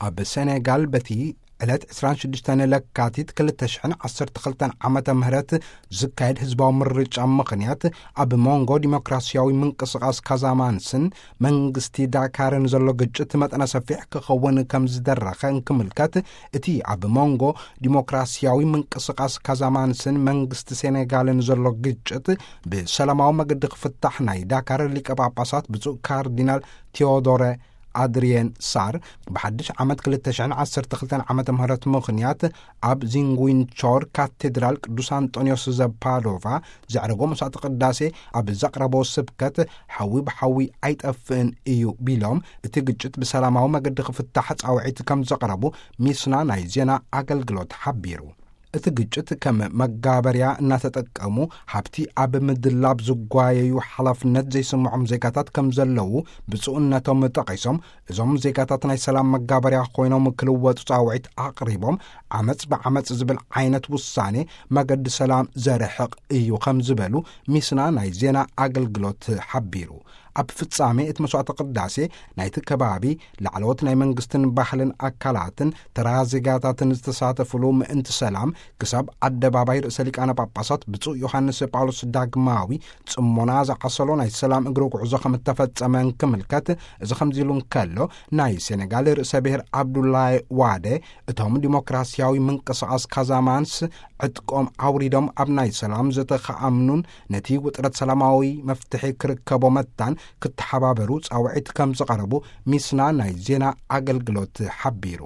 ኣብ ሴኔጋል በቲ ዕለት ዕስራን ሽዱሽተን ለካቲት ክልተ ሽሕን ዓሰርተ ክልተን ዓመተ ምህረት ዝካየድ ህዝባዊ ምርጫ ምኽንያት፣ ኣብ መንጎ ዲሞክራሲያዊ ምንቅስቓስ ካዛማንስን መንግስቲ ዳካርን ዘሎ ግጭት መጠነ ሰፊሕ ክኸውን ከም ዝደረኸ እንክምልከት፣ እቲ ኣብ መንጎ ዲሞክራሲያዊ ምንቅስቓስ ካዛማንስን መንግስቲ ሴኔጋልን ዘሎ ግጭት ብሰላማዊ መገዲ ክፍታሕ ናይ ዳካር ሊቀ ጳጳሳት ብፁዕ ካርዲናል ቴዎዶረ ኣድሪየን ሳር ብሓድሽ ዓመት ክልተ ሽሕን ዓሰርተ ክልተን ዓመተ ምህረት ምኽንያት፣ ኣብ ዚንጉንቾር ካቴድራል ቅዱስ ኣንጦንዮስ ዘፓዶቫ ዘዕረጎ መስዋዕቲ ቅዳሴ ኣብ ዘቕረቦ ስብከት፣ ሓዊ ብሓዊ ኣይጠፍእን እዩ ቢሎም፣ እቲ ግጭት ብሰላማዊ መገዲ ክፍታሕ ጻውዒት ከም ዘቕረቡ ሚስና ናይ ዜና ኣገልግሎት ሓቢሩ። እቲ ግጭት ከም መጋበርያ እናተጠቀሙ፣ ሃብቲ ኣብ ምድላብ ዝጓየዩ ሓላፍነት ዘይስምዖም ዜጋታት ከም ዘለዉ ብፁዕነቶም ጠቒሶም፣ እዞም ዜጋታት ናይ ሰላም መጋበርያ ኮይኖም ክልወጡ ጻውዒት ኣቕሪቦም፣ ዓመጽ ብዓመጽ ዝብል ዓይነት ውሳኔ መገዲ ሰላም ዘርሕቕ እዩ ከም ዝበሉ ሚስና ናይ ዜና ኣገልግሎት ሓቢሩ። ኣብ ፍጻሜ እቲ መስዋዕተ ቅዳሴ ናይቲ ከባቢ ላዕለዎት ናይ መንግስትን ባህልን ኣካላትን ተራ ዜጋታትን ዝተሳተፍሉ ምእንቲ ሰላም ክሳብ ኣደባባይ ርእሰ ሊቃነ ጳጳሳት ብፁዕ ዮሃንስ ጳውሎስ ዳግማዊ ጽሞና ዝዓሰሎ ናይ ሰላም እግሪ ጉዕዞ ከም እተፈጸመ እንክምልከት፣ እዚ ከምዚ ኢሉ እንከሎ፣ ናይ ሴኔጋል ርእሰ ብሔር ኣብዱላይ ዋደ፣ እቶም ዲሞክራሲያዊ ምንቅስቓስ ካዛማንስ ዕጥቆም ኣውሪዶም ኣብ ናይ ሰላም ዘተ ክኣምኑን ነቲ ውጥረት ሰላማዊ መፍትሒ ክርከቦ መታን ክተሓባበሩ ጻውዒት ከም ዝቐረቡ ሚስና ናይ ዜና ኣገልግሎት ሓቢሩ።